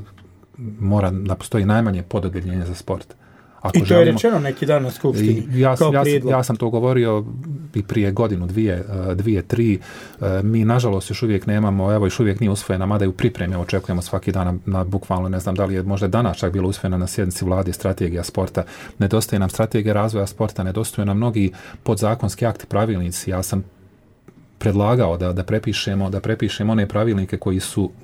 mora da postoji najmanje pododjeljenje za sport. I to je rečeno neki dan na Skupštini. Ja sam to govorio i prije godinu, dvije, tri. Mi nažalost još uvijek nemamo, još uvijek nije usvojena, mada i u pripremi očekujemo svaki dan na bukvalno, ne znam da li je možda danas čak bilo usvojena na sjednici vlade strategija sporta. Nedostaje nam strategija razvoja sporta, nedostaju nam mnogi podzakonski akti, pravilnici. Ja sam predlagao da prepišemo one pravilnike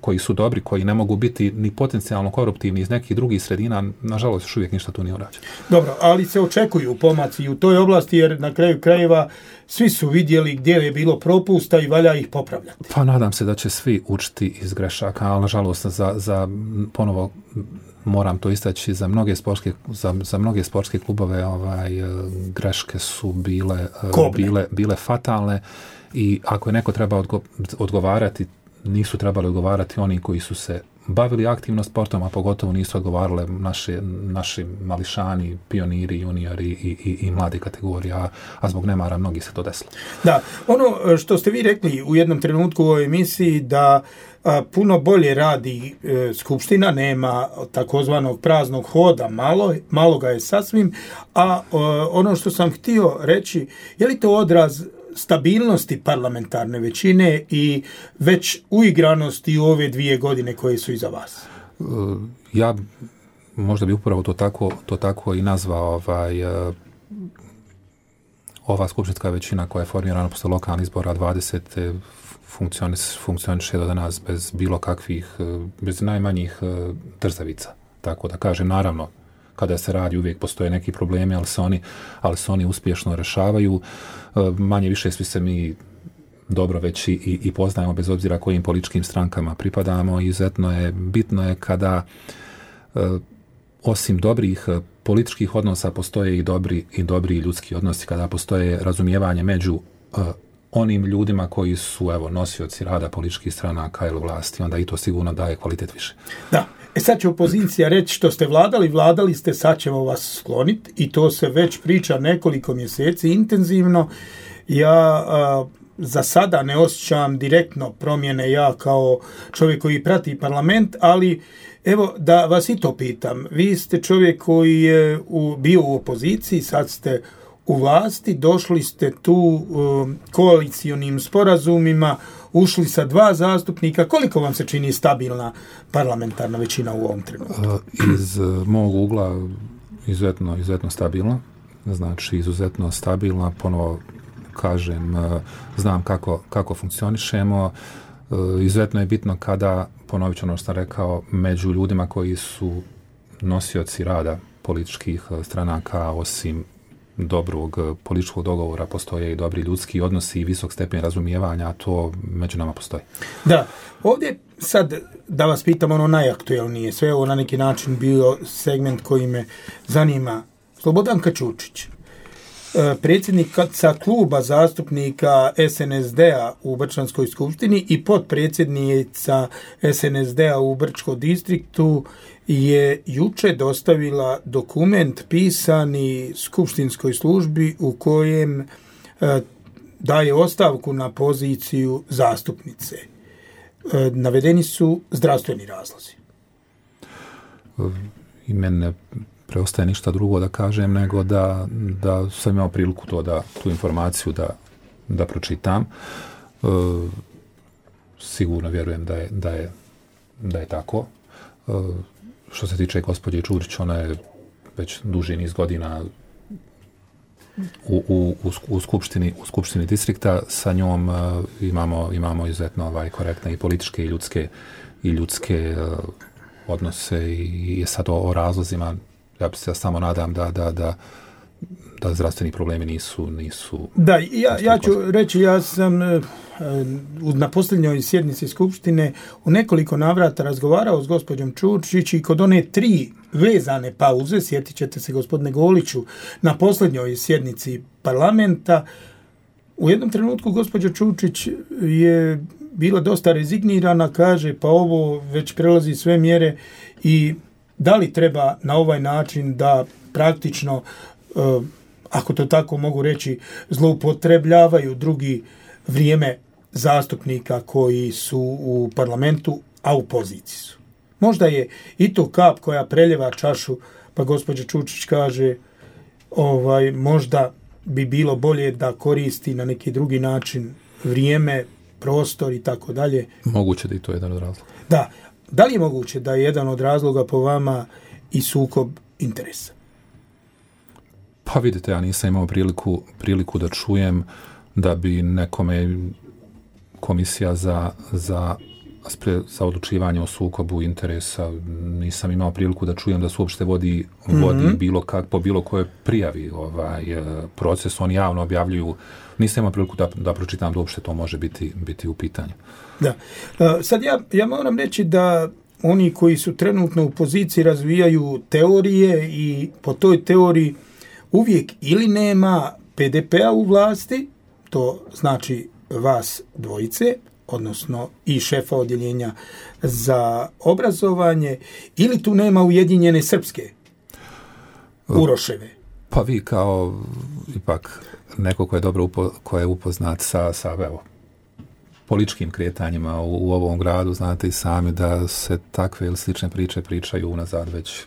koji su dobri, koji ne mogu biti ni potencijalno koruptivni iz nekih drugih sredina. Nažalost, još uvijek ništa tu nije urađeno. Dobro, ali se očekuju pomaci u toj oblasti, jer na kraju krajeva svi su vidjeli gdje je bilo propusta i valja ih popravljati. Pa nadam se da će svi učiti iz grešaka, ali nažalost za ponovo moram to istaći, za mnoge sportske klubove greške su bile fatalne. I ako je neko treba odgovarati, nisu trebali odgovarati oni koji su se bavili aktivno sportom, a pogotovo nisu odgovarale naši mališani, pioniri, juniori i mladi kategorija, a zbog nemara mnogi se to desilo. Da, ono što ste vi rekli u jednom trenutku u ovoj emisiji da puno bolje radi Skupština, nema takozvanog praznog hoda, malo ga je sasvim, a ono što sam htio reći, je li to odraz stabilnosti parlamentarne većine i već uigranosti u ove 2 godine koje su iza vas? Ja možda bi upravo to tako i nazvao ova skupštinska većina koja je formirana posle lokalnih izbora 20. funkcioniše do danas bez bilo kakvih, bez najmanjih trzavica. Tako da kažem, naravno, kada se radi uvijek postoje neki problemi, ali se oni uspješno rešavaju. Manje više svi se mi dobro već i poznajemo bez obzira kojim političkim strankama pripadamo. Izuzetno bitno je kada osim dobrih političkih odnosa postoje i dobri ljudski odnosi, kada postoje razumijevanje među onim ljudima koji su nosioci rada političkih stranaka ili vlasti, onda i to sigurno daje kvalitet više. Da. Sad će opozicija reći što ste vladali ste, sad ćemo vas skloniti i to se već priča nekoliko mjeseci intenzivno. Ja za sada ne osjećam direktno promjene ja kao čovjek koji prati parlament, ali evo da vas i to pitam. Vi ste čovjek koji je bio u opoziciji, sad ste u vlasti, došli ste tu koalicionim sporazumima, ušli sa 2 zastupnika. Koliko vam se čini stabilna parlamentarna većina u ovom trenutku? Iz mog ugla izuzetno stabilna. Znači, izuzetno stabilna. Ponovo kažem, znam kako funkcionišemo. Izuzetno je bitno kada, ponovit ću ono što sam rekao, među ljudima koji su nosioci rada političkih stranaka, osim dobrog političkog dogovora, postoje i dobri ljudski odnosi i visok stepen razumijevanja, a to među nama postoji. Da, ovdje sad da vas pitam ono najaktuelnije, sve ovo na neki način bio segment koji me zanima. Slobodanka Ćurčić, predsjednica kluba zastupnika SNSD-a u Brčanskoj skupštini i potpredsjednica SNSD-a u Brčkom distriktu je juče dostavila dokument pisani skupštinskoj službi u kojem daje ostavku na poziciju zastupnice. Navedeni su zdravstveni razlozi. I mene preostaje ništa drugo da kažem nego da sam imao priliku tu informaciju da pročitam. Sigurno vjerujem da je tako. Što se tiče gospođe Ćurčić, ona je već duži niz godina u skupštini distrikta. Sa njom imamo izuzetno korektne i političke i ljudske odnose i sad o razlozima. Ja se samo nadam da zdravstveni problemi nisu... Da, ja ću reći, ja sam na posljednjoj sjednici Skupštine u nekoliko navrata razgovarao s gospođom Ćurčić i kod one 3 vezane pauze, sjetit ćete se gospodine Goliću, na posljednjoj sjednici parlamenta, u jednom trenutku gospođa Ćurčić je bila dosta rezignirana, kaže pa ovo već prelazi sve mjere i da li treba na ovaj način da praktično, ako to tako mogu reći, zloupotrebljavaju drugi vrijeme zastupnika koji su u parlamentu, a u poziciji su. Možda je i to kap koja preljeva čašu, pa gospođa Ćurčić kaže možda bi bilo bolje da koristi na neki drugi način vrijeme, prostor i tako dalje. Moguće da i to je jedan od razloga. Da li je moguće da je jedan od razloga po vama i sukob interesa? Pa vidite, ja nisam imao priliku da čujem da bi nekome komisija za odlučivanje o sukobu interesa, nisam imao priliku da čujem da se uopšte vodi po bilo kojoj prijavi proces, oni javno objavljuju. Nisam imao priliku da pročitam da uopšte to može biti u pitanju. Da. Sad ja moram reći da oni koji su trenutno u poziciji razvijaju teorije i po toj teoriji uvijek ili nema PDP-a u vlasti, to znači vas dvojice, odnosno i šefa odjeljenja za obrazovanje, ili tu nema Ujedinjene Srpske, Uroševe? Pa vi kao ipak neko ko je dobro ko je upoznat sa evo, političkim kretanjima u ovom gradu, znate i sami da se takve ili slične priče pričaju unazad već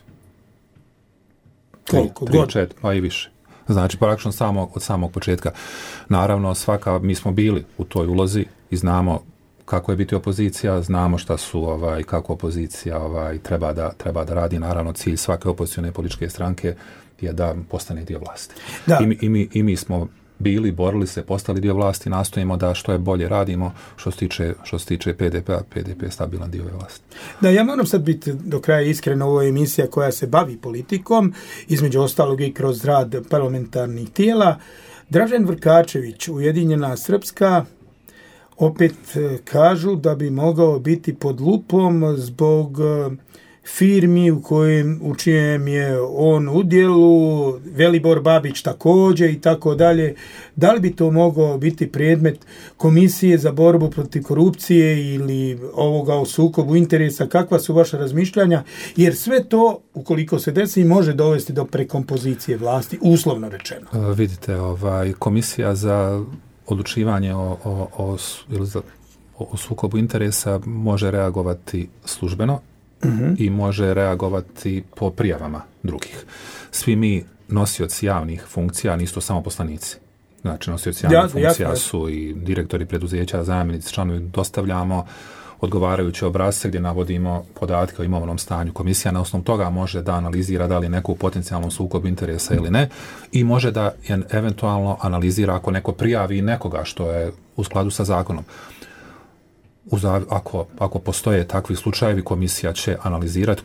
koliko god? Pa i više. Znači, praktično od samog početka. Naravno, mi smo bili u toj ulozi i znamo kako je biti opozicija, znamo šta su, kako opozicija treba da radi. Naravno, cilj svake opozicione političke stranke je da postane dio vlasti. I mi smo bili, borili se, postali dio vlasti, nastojimo da što je bolje radimo što se tiče PDP-a. PDP je stabilan dio vlasti. Da, ja moram sad biti do kraja iskren, ovo je emisija koja se bavi politikom, između ostalog i kroz rad parlamentarnih tijela. Dražen Vrkačević, Ujedinjena Srpska, opet kažu da bi mogao biti pod lupom zbog firmi u čijem je on udjelu, Velibor Babić također i tako dalje. Da li bi to mogao biti predmet Komisije za borbu protiv korupcije ili ovoga o sukobu interesa? Kakva su vaša razmišljanja? Jer sve to, ukoliko se desi, može dovesti do prekompozicije vlasti, uslovno rečeno. Vidite, Komisija za odlučivanje o sukobu interesa može reagovati službeno i može reagovati po prijavama drugih. Svi mi nosioci javnih funkcija nisu samo poslanici. Znači, nosioci javnih funkcija su i direktori preduzeća, zamjenici, članovi, dostavljamo odgovarajuće obrasce gdje navodimo podatke o imovnom stanju. Komisija na osnovu toga može da analizira da li neko u potencijalnom sukobu interesa ili ne i može da eventualno analizira ako neko prijavi nekoga što je u skladu sa zakonom. Ako postoje takvi slučajevi, komisija će analizirati,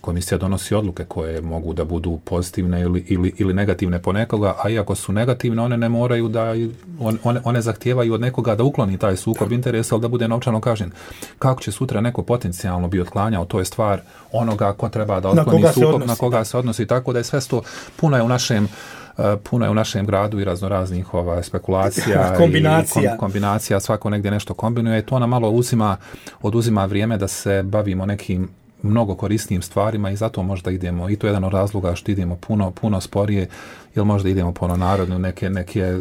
komisija donosi odluke koje mogu da budu pozitivne ili negativne po nekoga, a iako su negativne, one ne moraju one zahtijevaju od nekoga da ukloni taj sukob interesa, ali da bude novčano kažnjen. Kako će sutra neko potencijalno bi otklanjao, to je stvar onoga ko treba da otkloni sukob, na koga se odnosi, tako da je sve to puno je u našem gradu i raznoraznih spekulacija i kombinacija, svako negdje nešto kombinuje i to nam malo oduzima vrijeme da se bavimo nekim mnogo korisnijim stvarima i zato možda idemo, i to je jedan od razloga što idemo puno sporije, ili možda idemo po narodnu, neke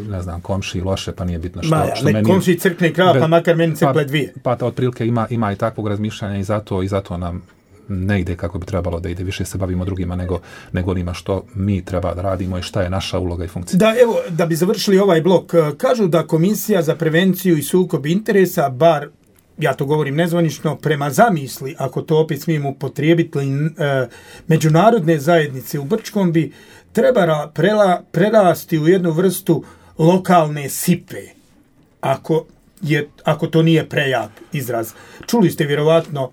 ne znam, komši loše, pa nije bitno što meni... Komši crkne krava, pa makar meni crkle dvije. Pa otprilike ima i takvog razmišljanja i zato nam ne ide kako bi trebalo da ide. Više se bavimo drugima nego onima što mi treba da radimo i šta je naša uloga i funkcija. Da, evo, da bi završili ovaj blok, kažu da Komisija za prevenciju i sukob interesa, bar, ja to govorim nezvanično, prema zamisli, ako to opet smijem upotrijebiti, međunarodne zajednice u Brčkom bi treba prerasti u jednu vrstu lokalne sipe, ako to nije prejak izraz. Čuli ste vjerovatno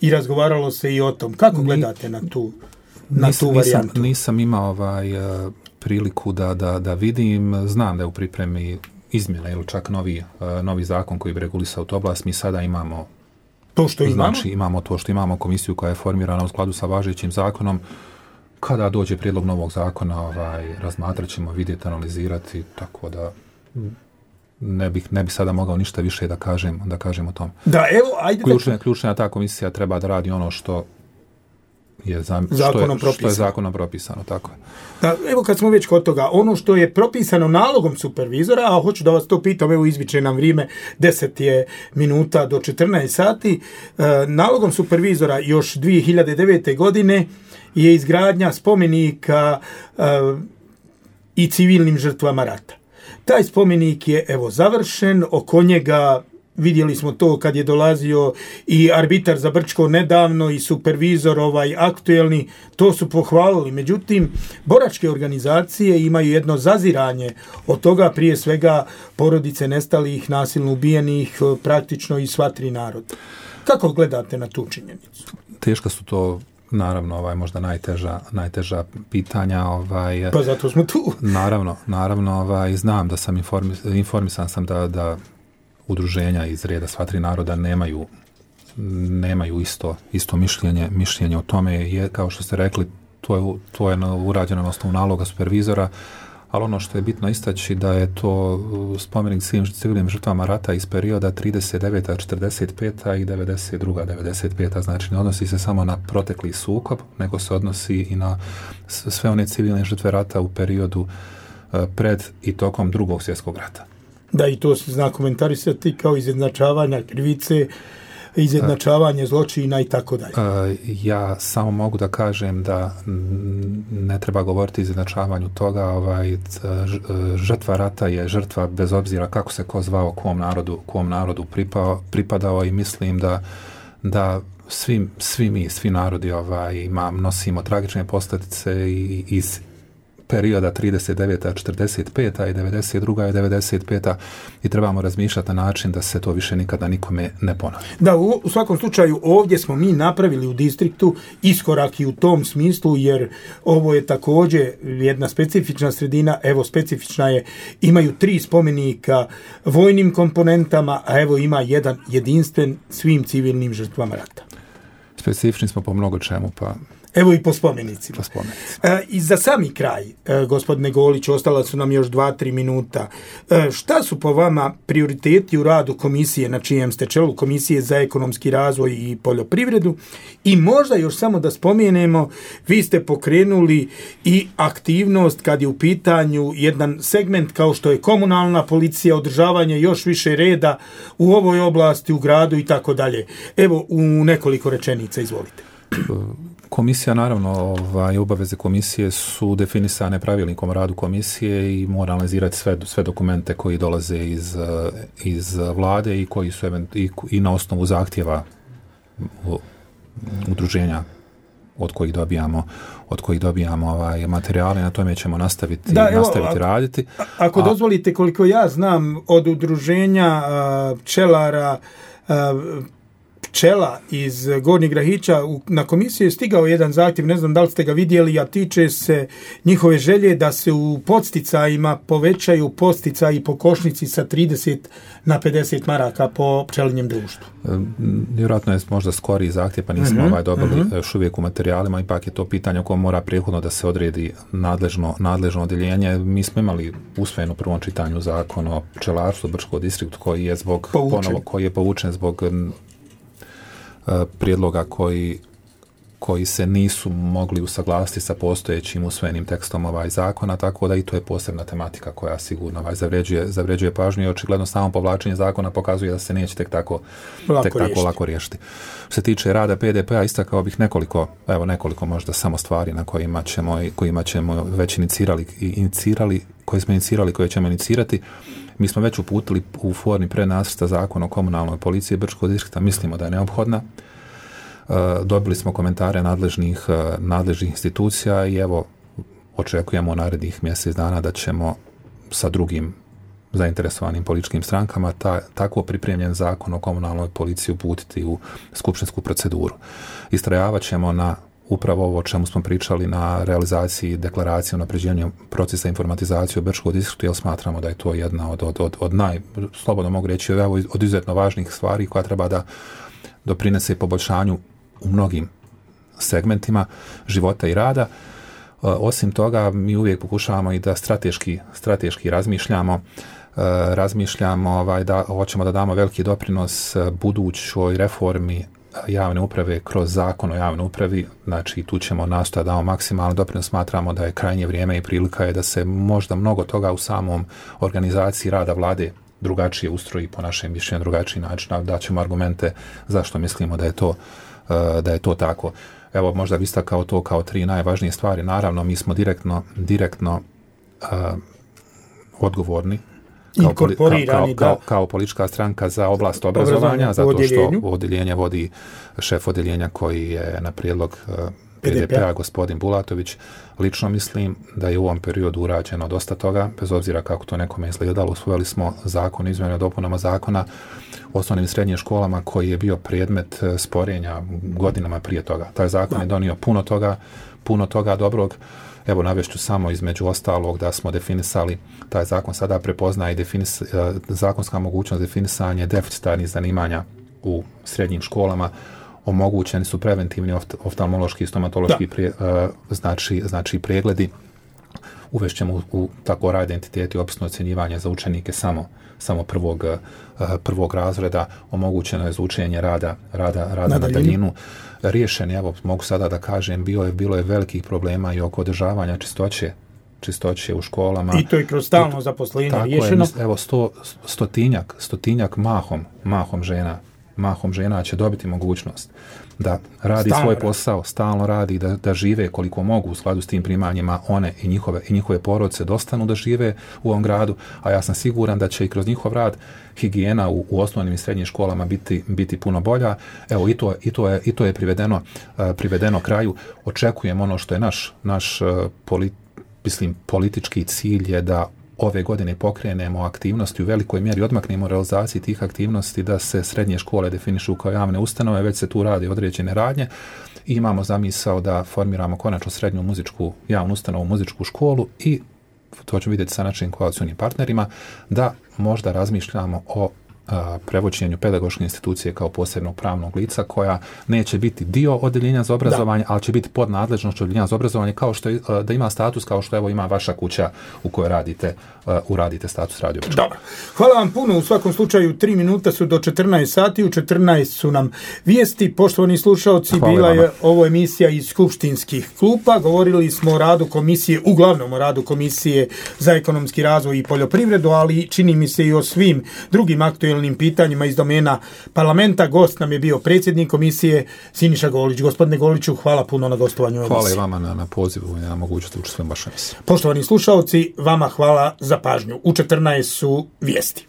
i razgovaralo se i o tom. Kako gledate na tu varijantu? Nisam imao priliku da vidim. Znam da je u pripremi izmjena ili čak novi zakon koji bi regulisao tu oblast. Mi sada imamo to što imamo. Znači, imamo to što imamo, komisiju koja je formirana u skladu sa važećim zakonom. Kada dođe prijedlog novog zakona, razmatrat ćemo, vidjeti, analizirati, tako da ne bih sada mogao ništa više da kažem o tom. Da, evo, ajde. Ključna ta komisija treba da radi ono što je zakonom propisano, tako je. Da, evo kad smo već kod toga, ono što je propisano nalogom supervizora, a hoću da vas to pitam, evo izviče nam vrijeme, 10 je minuta do 14 sati, nalogom supervizora još 2009. godine je izgradnja spomenika i civilnim žrtvama rata. Taj spomenik je evo završen, oko njega vidjeli smo to kad je dolazio i arbitar za Brčko nedavno i supervizor aktuelni, to su pohvalili. Međutim, boračke organizacije imaju jedno zaziranje od toga, prije svega porodice nestalih, nasilno ubijenih, praktično i sva tri naroda. Kako gledate na tu činjenicu? Teško su to, naravno, možda najteža pitanja. Pa zato smo tu. Naravno, znam da sam informisan sam da udruženja iz reda sva tri naroda nemaju isto mišljenje o tome. Je, kao što ste rekli, to je urađeno na osnovu naloga supervizora, ali ono što je bitno istaći da je to spomenik svim civilnim žrtvama rata iz perioda 39. 45. i 92. 95. Znači ne odnosi se samo na protekli sukob, nego se odnosi i na sve one civilne žrtve rata u periodu pred i tokom Drugog svjetskog rata. Da, i to se zna komentarisati kao izjednačavanja krivice, izjednačavanje zločina i tako dalje. Ja samo mogu da kažem da ne treba govoriti o izjednačavanju toga. Žrtva rata je žrtva bez obzira kako se ko zvao, kom narodu pripadao i mislim da svi narodi nosimo tragične posljedice iz perioda 39. 45. i 92. i 95. i trebamo razmišljati na način da se to više nikada nikome ne ponovi. Da, u svakom slučaju ovdje smo mi napravili u distriktu iskorak i u tom smislu, jer ovo je također jedna specifična sredina, evo specifična je, imaju 3 spomenika vojnim komponentama, a evo ima jedan jedinstven svim civilnim žrtvama rata. Specifični smo po mnogo čemu, pa evo i po spomenicima. I za sami kraj, gospodine Golić, ostala su nam još 2-3 minuta. Šta su po vama prioriteti u radu komisije, na čijem ste čelu, Komisije za ekonomski razvoj i poljoprivredu? I možda još samo da spomenemo, vi ste pokrenuli i aktivnost kad je u pitanju jedan segment kao što je komunalna policija, održavanje još više reda u ovoj oblasti, u gradu i tako dalje. Evo, u nekoliko rečenica, izvolite. Komisija, naravno, obaveze komisije su definisane pravilnikom o radu komisije i mora analizirati sve dokumente koji dolaze iz vlade i koji su i na osnovu zahtjeva udruženja od kojih dobijamo materijale, na tome ćemo nastaviti raditi. Ako dozvolite, koliko ja znam, od udruženja pčelara pčela iz Gornjeg Grahića na komisiju je stigao jedan zahtjev, ne znam da li ste ga vidjeli, a tiče se njihove želje da se u podsticajima povećaju podsticaji po košnici sa 30 na 50 maraka po pčelinjem društvu. Vjerojatno je možda skoriji zahtjev, pa nismo dobili još uvijek u materijalima, ipak je to pitanje o kojem mora prethodno da se odredi nadležno odjeljenje. Mi smo imali usvojen u prvom čitanju zakon o pčelarstvu Brčkog distriktu koji je povučen zbog prijedloga koji se nisu mogli usaglasiti sa postojećim usvojenim tekstom zakona, tako da i to je posebna tematika koja sigurno zavređuje pažnju i očigledno samo povlačenje zakona pokazuje da se neće tek tako lako riješiti. Što se tiče rada PDP-a, istakao bih nekoliko možda samo stvari na kojima ćemo već inicirali, koje ćemo inicirati. Mi smo već uputili u formi prednacrta zakona o komunalnoj policiji Brčkog distrikta, mislimo da je neophodna. Dobili smo komentare nadležnih institucija i evo očekujemo u narednih mjesec dana da ćemo sa drugim zainteresovanim političkim strankama tako pripremljen zakon o komunalnoj policiji uputiti u skupštinsku proceduru. Istrajavat ćemo na upravo ovo o čemu smo pričali, na realizaciji deklaracije o unapređenju procesa informatizacije u Brčkom distriktu, jer smatramo da je to jedna od slobodno mogu reći, od izuzetno važnih stvari koja treba da doprinese poboljšanju u mnogim segmentima života i rada. Osim toga, mi uvijek pokušavamo i da strateški razmišljamo da hoćemo da damo veliki doprinos budućoj reformi javne uprave kroz zakon o javnoj upravi, znači tu ćemo nastojati da damo maksimalno doprinos. Smatramo da je krajnje vrijeme i prilika je da se možda mnogo toga u samom organizaciji rada vlade drugačije ustroji, po našem mišljenju drugačiji način, da ćemo argumente zašto mislimo da je to tako. Evo, možda bi istakao to kao 3 najvažnije stvari. Naravno, mi smo direktno odgovorni kao politička stranka za oblast obrazovanja, zato što odjeljenje vodi šef odjeljenja koji je na prijedlog PDP-a gospodin Bulatović. Lično mislim da je u ovom periodu urađeno dosta toga, bez obzira kako to nekome izgledalo. Usvojili smo zakon o izmjenama i dopunama zakona o osnovnim i srednjim školama koji je bio predmet sporenja godinama prije toga. Taj zakon je donio puno toga dobrog. Evo, navešću samo između ostalog da smo definisali, taj zakon sada prepoznaje zakonska mogućnost definisanja deficitarnih zanimanja u srednjim školama. Omogućeni su preventivni oftalmološki i stomatološki pregledi. uvešćemo u tako rad identitet i opisno ocjenjivanje za učenike samo prvog razreda, omogućeno je za učenje rada na daljinu. Riješen, evo, mogu sada da kažem, bilo je velikih problema i oko održavanja čistoće u školama. I to je kroz stalno zaposlenje riješeno. Evo, stotinjak mahom žena će dobiti mogućnost da radi svoj posao, stalno radi, da žive koliko mogu u skladu s tim primanjima, one i njihove porodice dostanu da žive u ovom gradu, a ja sam siguran da će i kroz njihov rad higijena u osnovnim i srednjim školama biti puno bolja. Evo, i to je privedeno kraju. Očekujem ono što je naš politički cilj je da ove godine pokrenemo aktivnosti, u velikoj mjeri odmaknemo realizaciji tih aktivnosti, da se srednje škole definišu kao javne ustanove, već se tu radi određene radnje i imamo zamisao da formiramo konačno srednju javnu ustanovu, muzičku školu i to ćemo vidjeti sa našim koalicionim partnerima, da možda razmišljamo o prevođenju pedagoške institucije kao posebnog pravnog lica koja neće biti dio odeljenja za obrazovanje, ali će biti pod nadležnošću odeljenja za obrazovanje, kao što je, da ima status kao što evo ima vaša kuća u kojoj radite status radio. Dobro. Hvala vam puno. U svakom slučaju 3 minuta su do 14 sati, u 14 su nam vijesti. Poštovani slušalci, bila je ovo emisija iz skupštinskih klupa. Govorili smo o radu komisije, uglavnom o radu komisije za ekonomski razvoj i poljoprivredu, ali čini mi se i o svim drugim aktuelnim pitanjima iz domena parlamenta. Gost nam je bio predsjednik komisije Siniša Golić. Gospodine Goliću, hvala puno na gostovanju emisije. Hvala i vama na pozivu i na mogućnosti učestvujem vašoj emisiji. Poštovani slušalci, vama hvala za pažnju. U 14 su vijesti.